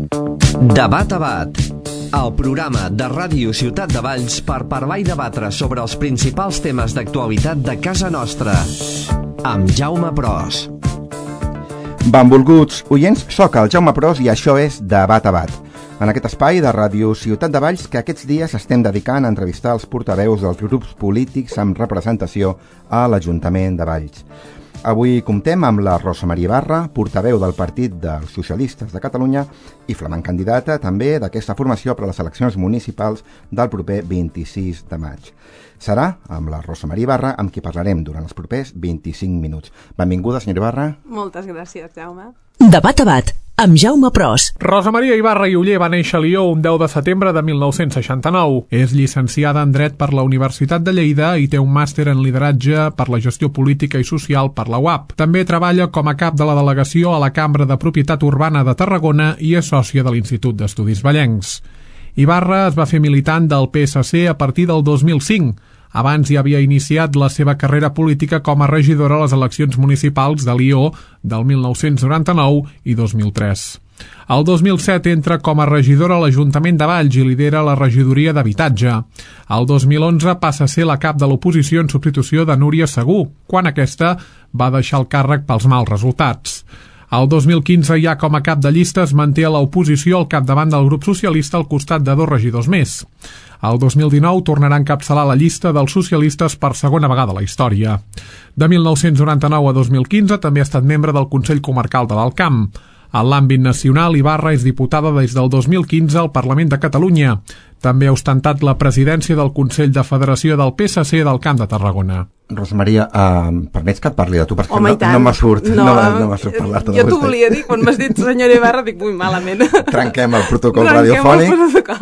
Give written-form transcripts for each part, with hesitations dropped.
Debat a Bat, el programa de Ràdio Ciutat de Valls per parlar i debatre sobre els principals temes d'actualitat de casa nostra, amb Jaume Pros. Benvolguts oients, soc el Jaume Pros i això és Debat a Bat, en aquest espai de Ràdio Ciutat de Valls que aquests dies estem dedicant a entrevistar els portaveus dels grups polítics amb representació a l'Ajuntament de Valls. Avui comptem amb la Rosa Maria Ibarra, portaveu del Partit dels Socialistes de Catalunya i flamant candidata també d'aquesta formació per a les eleccions municipals del proper 26 de maig. Serà amb la Rosa Maria Ibarra amb qui parlarem durant els propers 25 minuts. Benvinguda, senyora Ibarra. Moltes gràcies, Jaume. Debat a Bat, amb Jaume Pros. Rosa Maria Ibarra i Oller va néixer a Lió un 10 de setembre de 1969. És llicenciada en Dret per la Universitat de Lleida i té un màster en Lideratge per la Gestió Política i Social per la UAP. També treballa com a cap de la delegació a la Cambra de Propietat Urbana de Tarragona i és sòcia de l'Institut d'Estudis Vallencs. Ibarra es va fer militant del PSC a partir del 2005. Abans ja havia iniciat la seva carrera política com a regidora a les eleccions municipals de Lió del 1999 i 2003. El 2007 entra com a regidora a l'Ajuntament de Valls i lidera la regidoria d'Habitatge. El 2011 passa a ser la cap de l'oposició en substitució de Núria Segú, quan aquesta va deixar el càrrec pels mals resultats. El 2015 ja com a cap de llista es manté a l'oposició al capdavant del grup socialista al costat de 2 regidors més. El 2019 tornarà a encapçalar la llista dels socialistes per segona vegada a la història. De 1999 a 2015 també ha estat membre del Consell Comarcal de l'Alt Camp. En l'àmbit nacional, Ibarra és diputada des del 2015 al Parlament de Catalunya. També ha ostentat la presidència del Consell de Federació del PSC del Camp de Tarragona. Rosa Maria, permets que et parli de tu? Perquè Home, no me surt parlar-te de jo t'ho volia dir, quan m'has dit senyora Ibarra, dic, ui, malament. Trenquem el protocol radiofònic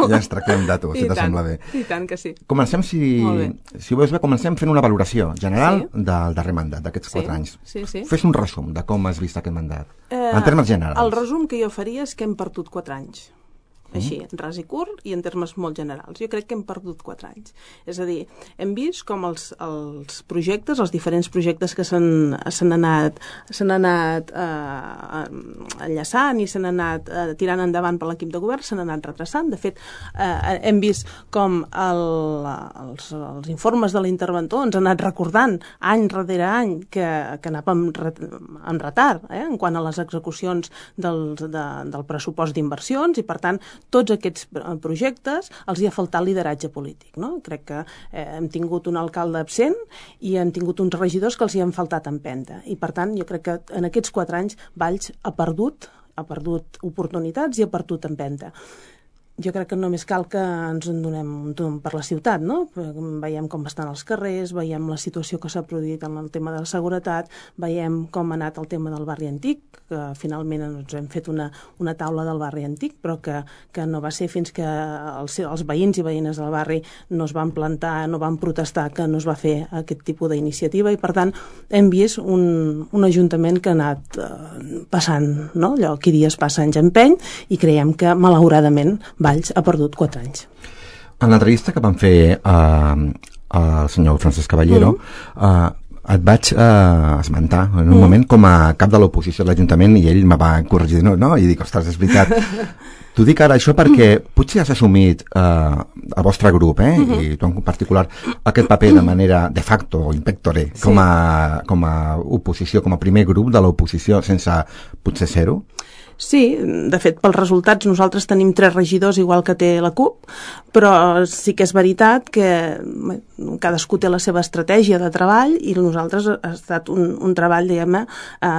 i ens tractem de tu, si t'assembla bé. I tant que sí. Comencem, si ho veus bé, comencem fent una valoració general del darrer mandat, d'aquests 4 anys. Sí. Fes un resum de com has vist aquest mandat, en termes generals. El resum que jo faria és que hem perdut 4 anys. Així, ras i curt i en termes molt generals. Jo crec que hem perdut 4 anys. És a dir, hem vist com els projectes, els diferents projectes que s'han anat enllaçant i s'han anat tirant endavant per l'equip de govern, s'han anat retrasant. De fet, hem vist com els informes de l'interventor ens han anat recordant any rere any que anàvem en retard en quant a les execucions del pressupost d'inversions i, per tant, tots aquests projectes els hi ha faltat lideratge polític, no? Crec que hem tingut un alcalde absent i hem tingut uns regidors que els hi han faltat empenta. I, per tant, jo crec que en aquests 4 anys Valls ha perdut oportunitats i ha perdut empenta. Jo crec que només cal que ens en donem un tomb per la ciutat, no? Veiem com estan els carrers, veiem la situació que s'ha produït en el tema de la seguretat, veiem com ha anat el tema del barri antic, que finalment ens hem fet una taula del barri antic, però que no va ser fins que els veïns i veïnes del barri no es van plantar, no van protestar, que no es va fer aquest tipus d'iniciativa i, per tant, hem vist un ajuntament que ha anat passant, no? Allò, qui dies passa anys empeny, i creiem que, malauradament, Valls ha perdut 4 anys. En l'entrevista que van fer al senyor Francesc Caballero, et vaig esmentar en un moment com a cap de l'oposició de l'Ajuntament i ell me va corregir, no? I dic, ostres, és veritat. T'ho dic ara això perquè potser has assumit el vostre grup, i tu en particular, aquest paper de manera de facto o in pectore, com a oposició, com a primer grup de l'oposició, sense potser ser-ho? Sí, de fet, pels resultats nosaltres tenim 3 regidors igual que té la CUP, però sí que és veritat que cadascú té la seva estratègia de treball i nosaltres ha estat un treball, diguem-ne,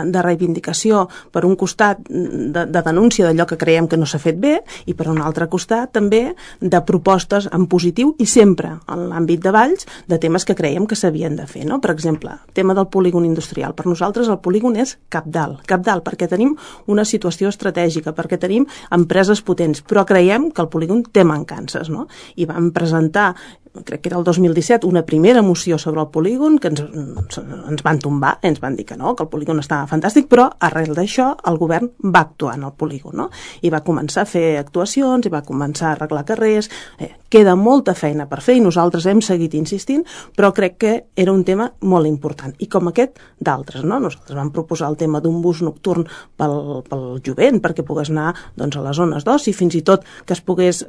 de reivindicació, per un costat de denúncia d'allò que creiem que no s'ha fet bé i per un altre costat també de propostes en positiu i sempre en l'àmbit de Valls de temes que creiem que s'havien de fer, no? Per exemple, tema del polígon industrial. Per nosaltres el polígon és cabdal, perquè tenim una situació estratègica, perquè tenim empreses potents, però creiem que el polígon té mancances, no? I vam presentar crec que era el 2017, una primera moció sobre el polígon que ens van tombar, ens van dir que no, que el polígon estava fantàstic, però arrel d'això el govern va actuar en el polígon, no? I va començar a fer actuacions, i va començar a arreglar carrers, queda molta feina per fer i nosaltres hem seguit insistint, però crec que era un tema molt important, i com aquest d'altres, no? Nosaltres vam proposar el tema d'un bus nocturn pel jovent, perquè pogués anar doncs, a les zones d'oci, fins i tot que es pogués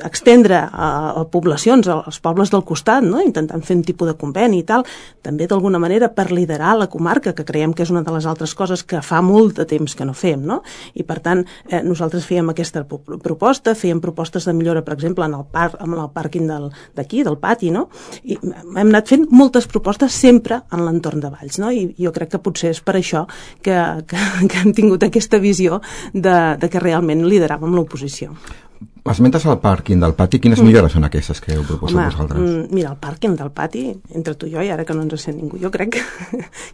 extendre a poblacions, als pobles del costat, no? Intentant fer un tipus de conveni i tal, també d'alguna manera per liderar la comarca, que creiem que és una de les altres coses que fa molt de temps que no fem, no? I per tant, nosaltres fèiem aquesta proposta, fèiem propostes de millora, per exemple, amb el pàrquing d'aquí, del pati, no? I hem anat fent moltes propostes sempre en l'entorn de Valls, no? I jo crec que potser és per això que hem tingut aquesta visió de que realment lideràvem l'oposició. Esmentes el pàrquing del pati, quines millores són aquestes que heu proposat vosaltres? Mira, el pàrquing del pati, entre tu i jo, i ara que no ens sent ningú, jo crec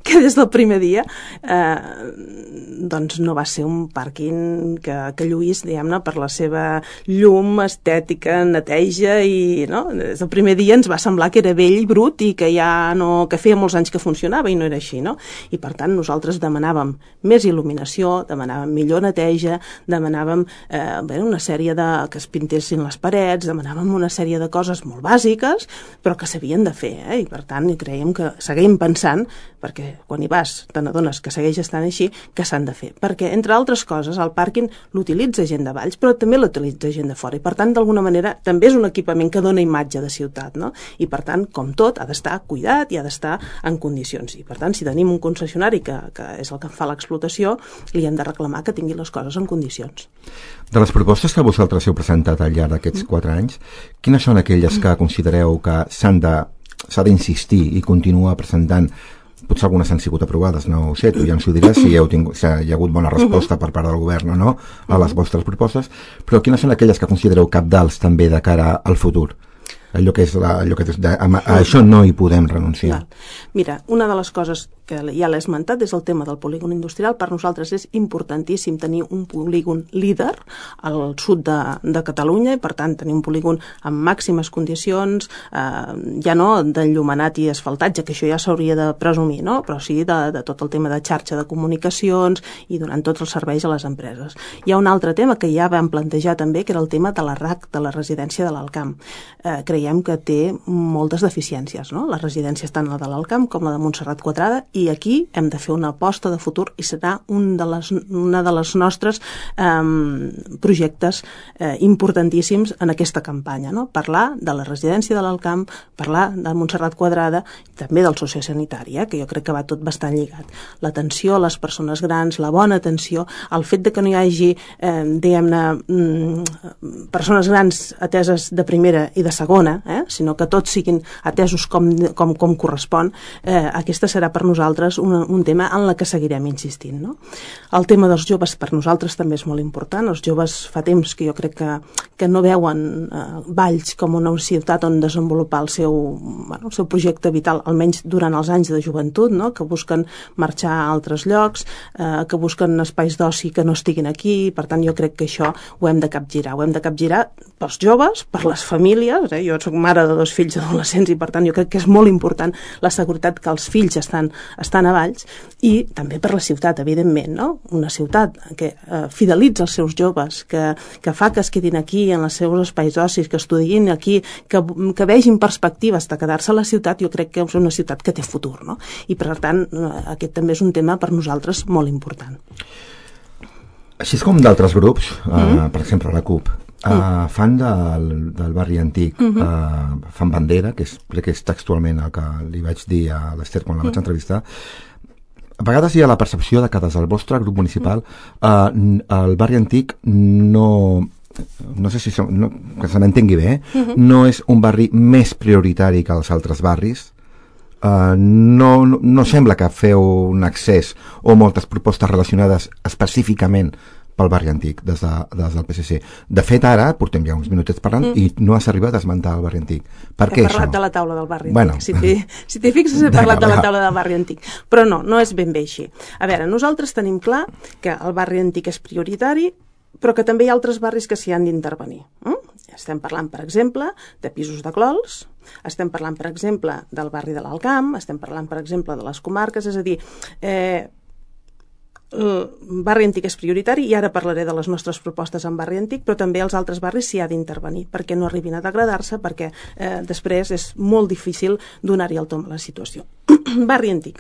que des del primer dia doncs no va ser un pàrquing que lluís, diguem-ne, per la seva llum, estètica, neteja, i no? Des del primer dia ens va semblar que era vell i brut i que ja no, que feia molts anys que funcionava i no era així, no? I per tant nosaltres demanàvem més il·luminació, demanàvem millor neteja, demanàvem una sèrie de que es pintessin les parets, demanàvem una sèrie de coses molt bàsiques, però que s'havien de fer, i per tant creiem que seguim pensant, perquè quan hi vas te n'adones que segueix estant així, que s'han de fer. Perquè, entre altres coses, el pàrquing l'utilitza gent de Valls, però també l'utilitza gent de fora, i per tant, d'alguna manera, també és un equipament que dona imatge de ciutat, no? I per tant, com tot, ha d'estar cuidat i ha d'estar en condicions. I per tant, si tenim un concessionari que és el que fa l'explotació, li hem de reclamar que tingui les coses en condicions. De les propostes que vosaltres heu presentat al llarg d'aquests 4 anys, quines són aquelles que considereu que s'ha d'insistir i continuar presentant? Potser algunes han sigut aprovades, no ho sé, tu ja ens ho diràs si hi ha hagut bona resposta per part del govern o no a les vostres propostes, però quines són aquelles que considereu cabdals també de cara al futur? A això no hi podem renunciar. Mira, una de les coses que ja l'he esmentat és el tema del polígon industrial. Per nosaltres és importantíssim tenir un polígon líder al sud de Catalunya, i per tant tenir un polígon amb màximes condicions, ja no d'enllumenat i asfaltatge, que això ja s'hauria de presumir, no? Però sí de tot el tema de xarxa de comunicacions i donant tots els serveis a les empreses. Hi ha un altre tema que ja vam plantejar també, que era el tema de la RAC, de la residència de l'Alcamp. Creiem que té moltes deficiències, no? Les residències, tant la de l'Alcamp com la de Montserrat Quadrada, i aquí hem de fer una aposta de futur i serà una de les nostres projectes importantíssims en aquesta campanya, no? Parlar de la residència de l'Alcamp, parlar de Montserrat Quadrada, també del sociosanitari, que jo crec que va tot bastant lligat. L'atenció a les persones grans, la bona atenció, el fet de que no hi hagi, diguem-ne, persones grans ateses de primera i de segona, sinó que tots siguin atesos com correspon, aquesta serà per nosaltres un tema en la que seguirem insistint, no? El tema dels joves per nosaltres també és molt important. Els joves fa temps que jo crec que no veuen Valls com una ciutat on desenvolupar el seu projecte vital, almenys durant els anys de joventut, no? Que busquen marxar a altres llocs, que busquen espais d'oci que no estiguin aquí. Per tant, jo crec que això ho hem de capgirar. Ho hem de capgirar pels joves, per les famílies. Jo soc mare de 2 fills adolescents i per tant jo crec que és molt important la seguretat que els fills estan a Valls, i també per la ciutat, evidentment, no? Una ciutat que fidelitza els seus joves, que fa que es quedin aquí en els seus espais d'ocis, que estudiïn aquí, que vegin perspectives de quedar-se a la ciutat. Jo crec que és una ciutat que té futur, no? I per tant aquest també és un tema per nosaltres molt important. Així com d'altres grups, per exemple la CUP, fan del barri antic, fan bandera, que crec que és textualment el que li vaig dir a l'Ester quan la vaig entrevistar. A vegades hi ha la percepció de que des del vostre grup municipal el barri antic no sé si que se m'entengui bé, no és un barri més prioritari que els altres barris. No sembla que feu un accés o moltes propostes relacionades específicament pel barri antic des del PSC. De fet, ara portem ja uns minutets parlant i no has arribat a esmentar el barri antic. Per què això? He parlat de la taula del barri antic. Si t'hi fixes, he parlat de la taula del barri antic. Però no és ben bé així. A veure, nosaltres tenim clar que el barri antic és prioritari, però que també hi ha altres barris que s'hi han d'intervenir. Estem parlant, per exemple, de pisos de clols, estem parlant, per exemple, del barri de l'Alcamp, estem parlant, per exemple, de les comarques, és a dir, el barri antic és prioritari i ara parlaré de les nostres propostes en barri antic, però també els altres barris s'hi ha d'intervenir perquè no arribin a degradar-se, perquè després és molt difícil donar-hi el tomb a la situació. Barri antic.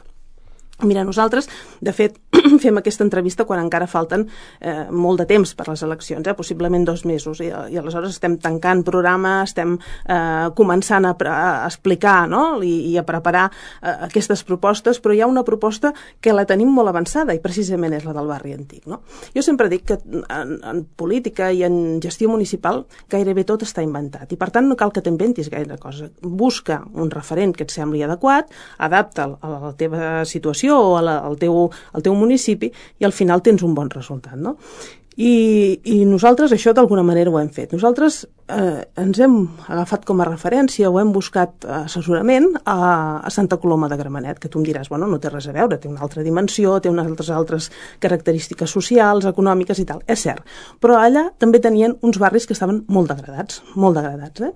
Mira, nosaltres, de fet, fem aquesta entrevista quan encara falten molt de temps per les eleccions, possiblement 2 mesos, i aleshores estem tancant programa, estem començant a explicar, no? I a preparar aquestes propostes, però hi ha una proposta que la tenim molt avançada i precisament és la del barri antic, no? Jo sempre dic que en política i en gestió municipal gairebé tot està inventat i per tant no cal que t'inventis gaire cosa. Busca un referent que et sembli adequat, adapta'l a la teva situació o al teu municipi i al final tens un bon resultat, no? I nosaltres això d'alguna manera ho hem fet. Nosaltres ens hem agafat com a referència o hem buscat assessorament a Santa Coloma de Gramenet, que tu em diràs, bueno, no té res a veure, té una altra dimensió, té unes altres característiques socials, econòmiques i tal, és cert. Però allà també tenien uns barris que estaven molt degradats,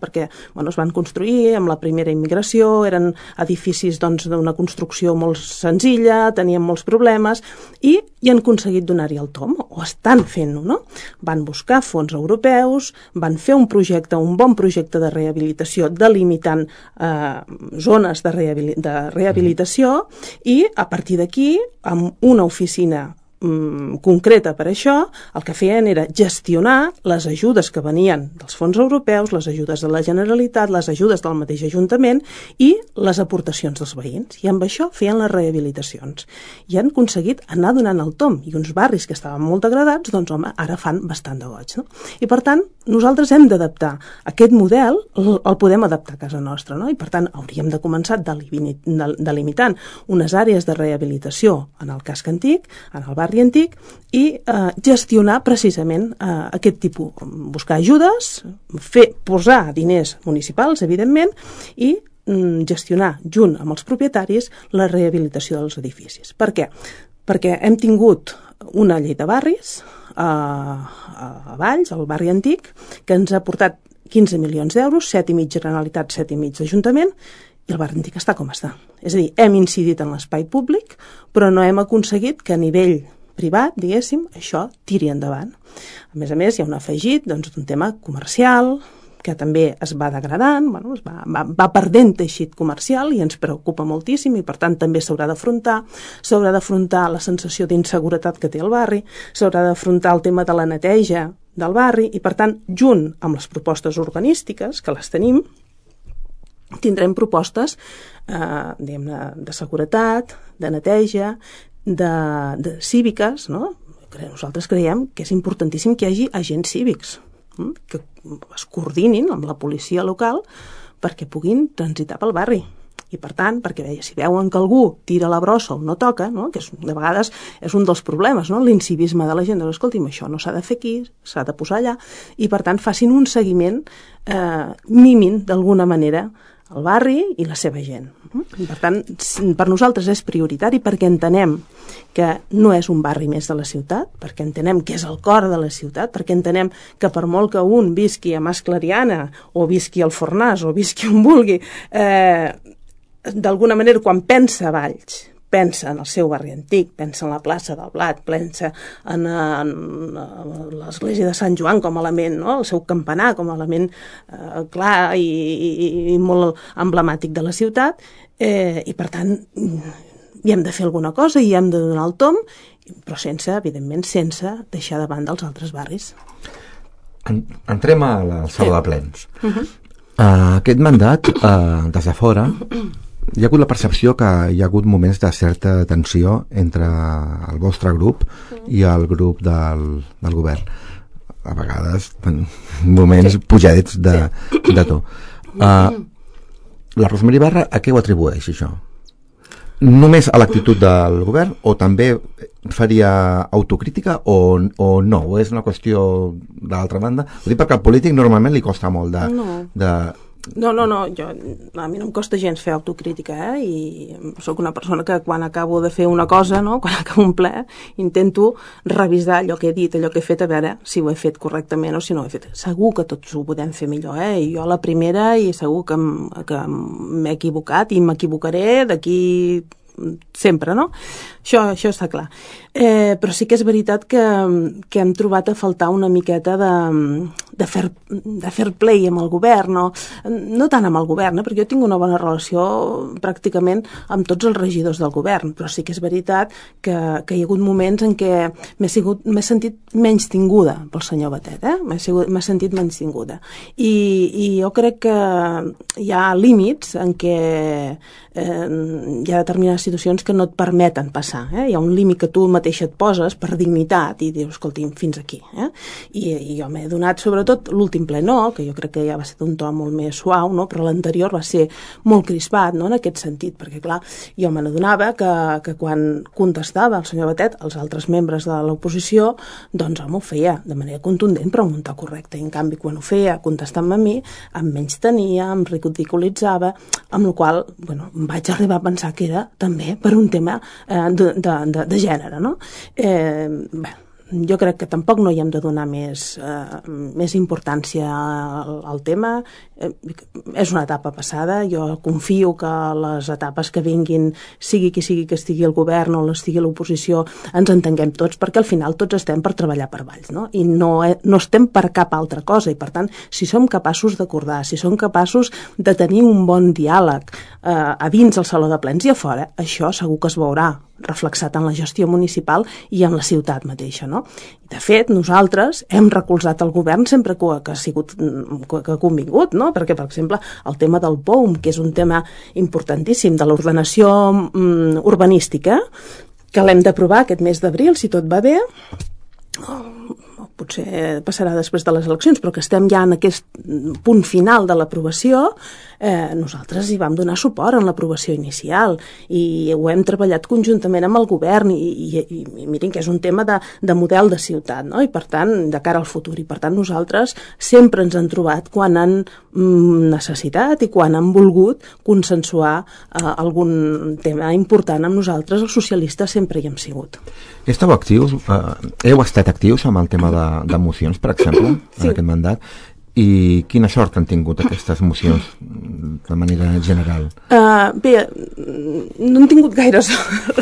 perquè bueno, es van construir amb la primera immigració, eren edificis d'una construcció molt senzilla, tenien molts problemes i han aconseguit donar-hi el tomb, o estan fent-ho, no? Van buscar fons europeus, van fer un bon projecte de rehabilitació delimitant zones de rehabilitació i a partir d'aquí, amb una oficina concreta per això, el que feien era gestionar les ajudes que venien dels fons europeus, les ajudes de la Generalitat, les ajudes del mateix Ajuntament i les aportacions dels veïns. I amb això feien les rehabilitacions. I han aconseguit anar donant el tomb. I uns barris que estaven molt degradats, doncs home, ara fan bastant de goig, no? I per tant, nosaltres hem d'adaptar aquest model, el podem adaptar a casa nostra, no? I per tant, hauríem de començar delimitant unes àrees de rehabilitació en el casc antic, en el barri antic, i gestionar precisament aquest tipus, buscar ajudes, posar diners municipals, evidentment, i gestionar junt amb els propietaris la rehabilitació dels edificis. Per què? Perquè hem tingut una llei de barris a Valls, al barri antic, que ens ha portat 15 milions d'euros, 7,5 Generalitat, 7,5 Ajuntament, i el barri antic està com està. És a dir, hem incidit en l'espai públic, però no hem aconseguit que a nivell privat, diguéssim, això tiri endavant. A més, hi ha un afegit d'un tema comercial, que també es va degradant, bueno, va perdent teixit comercial i ens preocupa moltíssim i per tant també s'haurà d'afrontar la sensació d'inseguretat que té el barri, s'haurà d'afrontar el tema de la neteja del barri i per tant, junt amb les propostes urbanístiques, que les tenim, tindrem propostes de seguretat, de neteja, de cíviques, no? Nosaltres creiem que és importantíssim que hi hagi agents cívics que es coordinin amb la policia local perquè puguin transitar pel barri. I per tant, perquè si veuen que algú tira la brossa o no toca, no? Que de vegades és un dels problemes, no? L'incivisme de la gent, escolti'm, això no s'ha de fer aquí, s'ha de posar allà, i per tant facin un seguiment, mimin d'alguna manera el barri i la seva gent. I per tant, per nosaltres és prioritari perquè entenem que no és un barri més de la ciutat, perquè entenem que és el cor de la ciutat, perquè entenem que per molt que un visqui a Mas Clariana o visqui al Fornàs o visqui on vulgui, d'alguna manera quan pensa a Valls, pensa en el seu barri antic, pensa en la plaça del Blat, pensa en l'església de Sant Joan com a element, no? El seu campanar com a element clar i molt emblemàtic de la ciutat, i per tant hi hem de fer alguna cosa i hem de donar el tomb, però evidentment sense deixar de banda els altres barris. Entrem a la sala de plens. Aquest mandat, des de fora, hi ha hagut la percepció que hi ha hagut moments de certa tensió entre el vostre grup i el grup del govern. A vegades, moments pujadets de to. La Rosemary Ibarra, a què ho atribueix, això? Només a l'actitud del govern o també faria autocrítica o no? O és una qüestió d'altra banda? Ho dic perquè al polític normalment li costa molt de No, a mi no em costa gens fer autocrítica, i sóc una persona que quan acabo de fer una cosa, no? Quan acabo un ple, intento revisar allò que he dit, allò que he fet, a veure si ho he fet correctament o si no ho he fet. Segur que tots ho podem fer millor, i jo la primera, i segur que m'he equivocat i m'equivocaré d'aquí sempre, no? Això està clar. Però sí que és veritat que hem trobat a faltar una miqueta de fair play amb el govern, no tant amb el govern, perquè jo tinc una bona relació pràcticament amb tots els regidors del govern, però sí que és veritat que hi ha hagut moments en què m'he sentit menys tinguda pel senyor Batet, m'he sentit menys tinguda. I jo crec que hi ha límits en què hi ha determinades situacions que no et permeten passar. Hi ha un límit que tu mateixa et poses per dignitat i dius, escolti, fins aquí. I jo m'he donat, sobretot l'últim ple que jo crec que ja va ser d'un to molt més suau, però l'anterior va ser molt crispat, en aquest sentit, perquè clar, jo me n'adonava que quan contestava el senyor Batet, els altres membres de l'oposició, doncs home, ho feia de manera contundent però amb un to correcte, i en canvi quan ho feia contestant-me a mi, em menystenia, em ridiculitzava, amb la qual cosa, em vaig arribar a pensar que era també per un tema de gènere, no? Jo crec que tampoc no hi hem de donar més importància al tema. És una etapa passada, jo confio que les etapes que vinguin, sigui qui sigui que estigui al govern o estigui a l'oposició, ens entenguem tots, perquè al final tots estem per treballar per Valls, no? I no estem per cap altra cosa, i per tant, si som capaços d'acordar, si som capaços de tenir un bon diàleg a dins el saló de plens i a fora, això segur que es veurà reflexat en la gestió municipal i en la ciutat mateixa, no? De fet, nosaltres hem recolzat el govern sempre que ha convingut, no? Perquè, per exemple, el tema del POUM, que és un tema importantíssim de l'ordenació urbanística, que l'hem d'aprovar aquest mes d'abril, si tot va bé, potser passarà després de les eleccions, però que estem ja en aquest punt final de l'aprovació, nosaltres hi vam donar suport en l'aprovació inicial i ho hem treballat conjuntament amb el govern i mirin que és un tema de model de ciutat, no? I per tant, de cara al futur, i per tant nosaltres sempre ens han trobat quan han necessitat i quan han volgut consensuar algun tema important amb nosaltres, els socialistes sempre hi hem sigut. Esteu actius, heu estat actius amb el tema de mocions, per exemple, en aquest mandat, i quina sort han tingut aquestes mocions de manera general? Bé, no han tingut gaire sort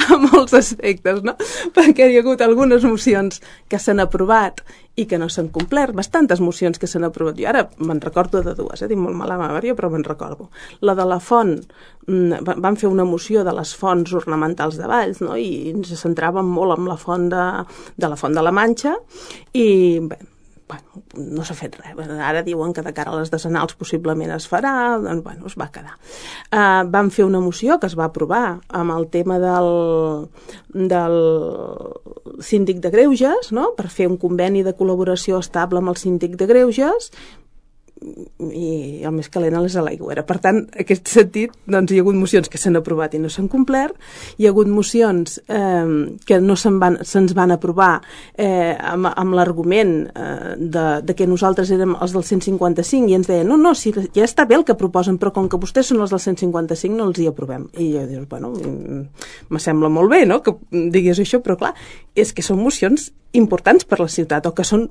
a molts aspectes, no? Perquè hi ha hagut algunes mocions que s'han aprovat i que no s'han complert, bastantes mocions que s'han aprovat. Jo ara me'n recordo de dues, tinc molt mala memòria, però me'n recordo. La de la font, van fer una moció de les fonts ornamentals de Valls, no? I ens centràvem molt en la font de la Manxa, i bé, no s'ha fet res. Ara diuen que de cara a les decenals possiblement es farà, doncs es va quedar. Vam fer una moció que es va aprovar amb el tema del síndic de Greuges, no? Per fer un conveni de col·laboració estable amb el síndic de Greuges, i el més calent és a l'aigüera. Per tant, en aquest sentit, doncs, hi ha hagut mocions que s'han aprovat i no s'han complert, hi ha hagut mocions que no se'ns van aprovar amb l'argument de que nosaltres érem els del 155 i ens deien, no, si ja està bé el que proposen, però com que vostès són els del 155 no els hi aprovem. I jo dius, bueno, me sembla molt bé, no?, que digués això, però clar, és que són mocions importants per la ciutat, o que són,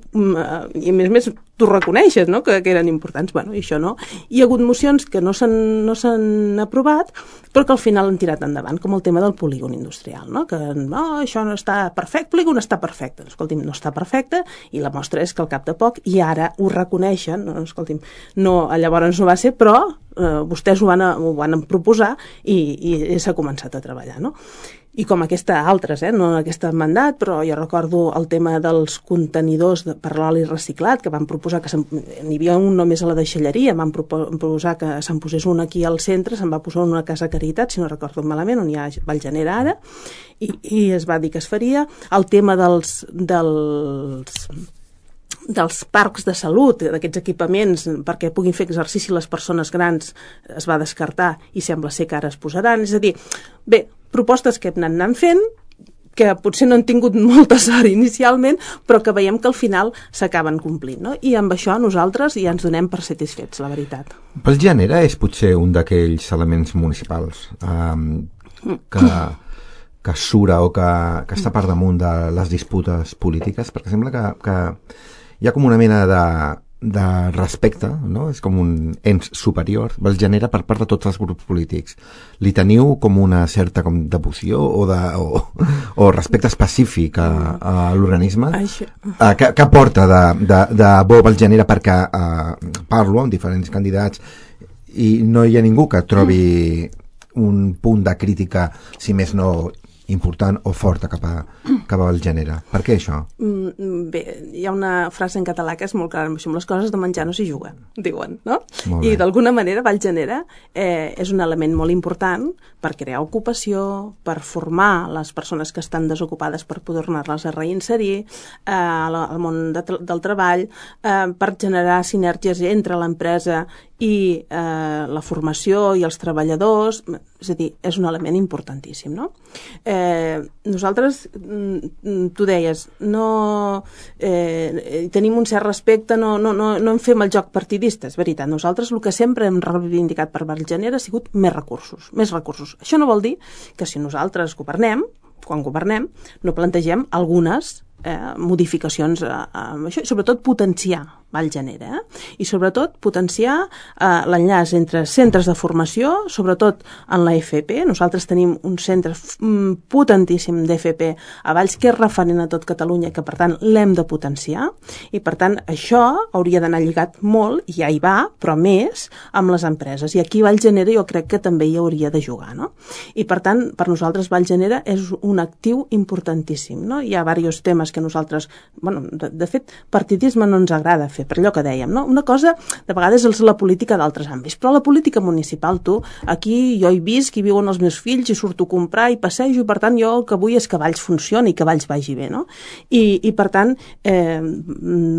i a més tu reconeixes, no?, que eren importants. Bueno, i això no. Hi ha hagut mocions que no s'han aprovat, però que al final han tirat endavant, com el tema del polígon industrial, no?, que això no està perfecte, el polígon està perfecte. Escolti'm, no està perfecte, i la mostra és que al cap de poc, i ara ho reconeixen, no, escolti'm, no, llavors no va ser, però vostès ho van proposar i s'ha començat a treballar, no? I com altres, no en aquest mandat, però jo recordo el tema dels contenidors per l'oli reciclat, que van proposar que n'hi havia un només a la deixalleria, van proposar que se'n posés un aquí al centre, se'n va posar una casa Caritat, si no recordo malament, on hi ha Vallgenera ara, i es va dir que es faria. El tema dels parcs de salut, d'aquests equipaments perquè puguin fer exercici les persones grans, es va descartar i sembla ser que ara es posaran. És a dir, bé, propostes que hem anat fent, que potser no han tingut molta sort inicialment, però que veiem que al final s'acaben complint, no? I amb això nosaltres ja ens donem per satisfets, la veritat. Pel gènere és potser un d'aquells elements municipals que sura o que està per damunt de les disputes polítiques, perquè sembla que hi ha com una mena de respecte, no? És com un ens superior, el genera per part de tots els grups polítics. Li teniu com una certa com devoció o respecte específic a l'organisme? Què aporta de bo el genera? Perquè parlo amb diferents candidats i no hi ha ningú que trobi un punt de crítica, si més no important o forta cap al gènere. Per què això? Bé, hi ha una frase en català que és molt clara, amb les coses de menjar no s'hi juguen, diuen, no? I d'alguna manera Vallgènere és un element molt important per crear ocupació, per formar les persones que estan desocupades per poder-les a reinserir al món del treball, per generar sinergies entre l'empresa i la formació i els treballadors, és a dir, és un element importantíssim, no? Nosaltres, tu deies, tenim un cert respecte, no en fem el joc partidista, és veritat. Nosaltres el que sempre hem reivindicat per Vallgènere ha sigut més recursos. Això no vol dir que si nosaltres quan governem, no plantegem algunes modificacions amb això, i sobretot potenciar Vallgènere, i sobretot potenciar l'enllaç entre centres de formació, sobretot en la FP. Nosaltres tenim un centre potentíssim d'FP a Valls que és referent a tot Catalunya, que per tant l'hem de potenciar, i per tant això hauria d'anar lligat molt, i ja hi va, però més amb les empreses, i aquí Vallgènere jo crec que també hi hauria de jugar, no? I per tant, per nosaltres Vallgènere és un actiu importantíssim, no? Hi ha diversos temes que nosaltres, de fet, partidisme no ens agrada fer, per allò que dèiem, no? Una cosa, de vegades, és la política d'altres àmbits, però la política municipal, aquí jo hi visc, hi viuen els meus fills, hi surto a comprar, hi passejo, i per tant jo el que vull és que Valls funcioni i que Valls vagi bé, no? I per tant,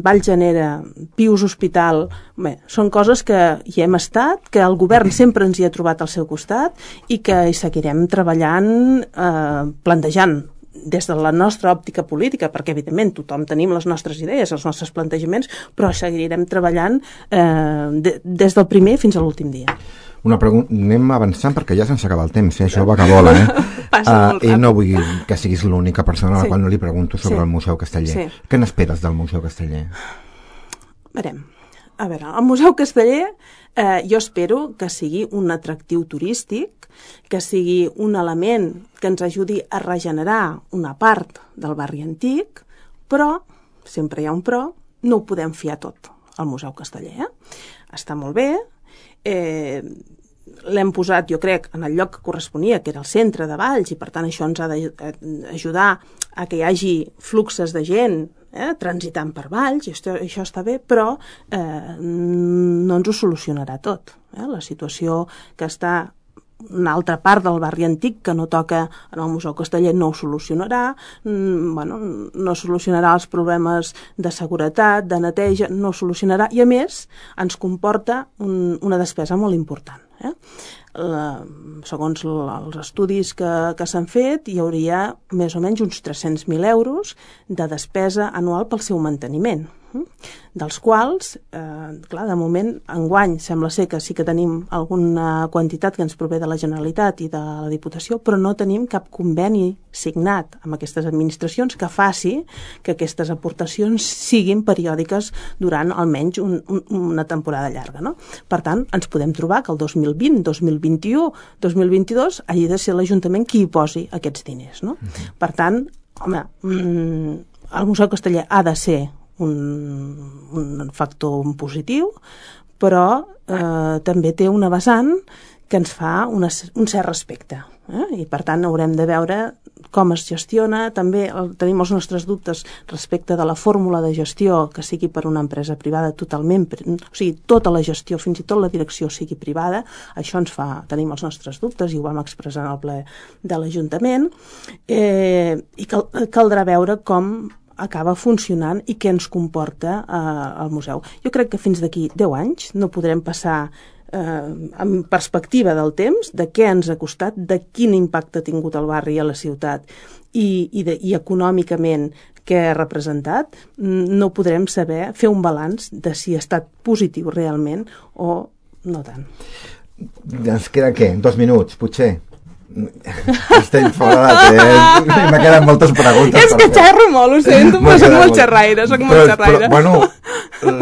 Vallgènere, Pius Hospital, bé, són coses que hi hem estat, que el govern sempre ens hi ha trobat al seu costat i que hi seguirem treballant, plantejant des de la nostra òptica política, perquè evidentment tothom tenim les nostres idees, els nostres plantejaments, però seguirem treballant des del primer fins a l'últim dia. Una pregunta, anem avançant perquè ja se'ns acaba el temps, això va que vola, I no vull que siguis l'única persona a la qual no li pregunto sobre el Museu Casteller. Què n'esperes del Museu Casteller? A veure, el Museu Casteller jo espero que sigui un atractiu turístic, que sigui un element que ens ajudi a regenerar una part del barri antic, però, sempre hi ha un però, no ho podem fiar tot al Museu Casteller. Està molt bé, l'hem posat, jo crec, en el lloc que corresponia, que era el centre de Valls, i per tant això ens ha d'ajudar a que hi hagi fluxes de gent transitant per Valls, i això està bé, però no ens ho solucionarà tot. La situació que està una altra part del barri antic que no toca en el Museu Casteller no ho solucionarà, no solucionarà els problemes de seguretat, de neteja, no ho solucionarà, i a més ens comporta una despesa molt important. Segons els estudis que s'han fet, hi hauria més o menys uns 300.000 euros de despesa anual pel seu manteniment, dels quals, clar, de moment, enguany sembla ser que sí que tenim alguna quantitat que ens prové de la Generalitat i de la Diputació, però no tenim cap conveni signat amb aquestes administracions que faci que aquestes aportacions siguin periòdiques durant almenys una temporada llarga, no? Per tant, ens podem trobar que el 2020, 2021, 2022 hagi de ser l'Ajuntament qui hi posi aquests diners, no? Per tant, home, el Museu Casteller ha de ser un factor positiu, però també té una vessant que ens fa un cert respecte, i per tant haurem de veure com es gestiona. També tenim els nostres dubtes respecte de la fórmula de gestió que sigui per una empresa privada totalment, o sigui, tota la gestió, fins i tot la direcció sigui privada. Això ens fa, tenim els nostres dubtes i ho vam expressar en el ple de l'Ajuntament, i caldrà veure com acaba funcionant i què ens comporta el museu. Jo crec que fins d'aquí 10 anys no podrem passar amb perspectiva del temps, de què ens ha costat, de quin impacte ha tingut el barri a la ciutat i econòmicament què ha representat, no podrem saber fer un balanç de si ha estat positiu realment o no tant. Ens queden, què? 2 minuts, potser? Estem fora de temps. Me queden moltes preguntes. És que xerro molt, ho sento, però soc molt xerraire. Però, bueno,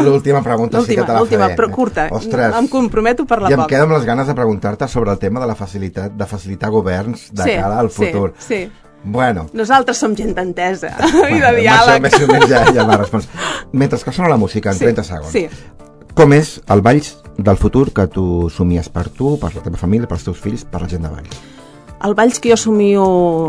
l'última pregunta sí que te la faré. Però curta. Ostres, em comprometo per la poc. I em poc. quedo amb les ganes de preguntar-te sobre el tema de la facilitar governs de cara al futur. Sí. Bueno. Nosaltres som gent d'entesa i de diàleg. Més o menys ja m'ha respons. Mentre que sona la música, en 30 segons. Sí. Com és el Valls del futur que tu somies per tu, per la teva família, pels teus fills, per la gent de Valls? El Valls que jo somio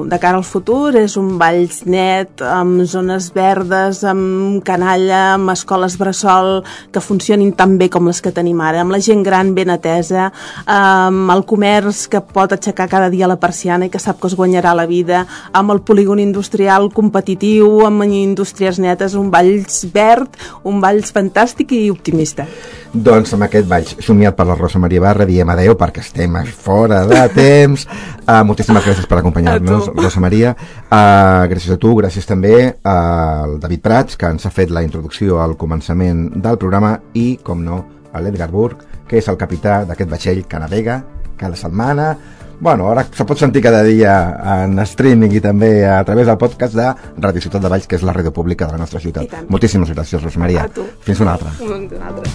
de cara al futur és un Valls net, amb zones verdes, amb canalla, amb escoles bressol que funcionin tan bé com les que tenim ara, amb la gent gran ben atesa, amb el comerç que pot aixecar cada dia la persiana i que sap que es guanyarà la vida, amb el polígon industrial competitiu, amb indústries netes, un Valls verd, un Valls fantàstic i optimista. Doncs amb aquest Valls somiat per la Rosa Maria Barra diem adeu perquè estem fora de temps. Moltíssimes gràcies per acompanyar-nos, Rosa Maria. Gràcies a tu, gràcies també al David Prats, que ens ha fet la introducció al començament del programa, i, com no, a l'Edgar Burg, que és el capità d'aquest vaixell que navega cada setmana. Bueno, ara se pot sentir cada dia en streaming i també a través del podcast de Ràdio Ciutat de Valls, que és la ràdio pública de la nostra ciutat. Moltíssimes gràcies, Rosa Maria. A tu. Fins una altra. Una altra.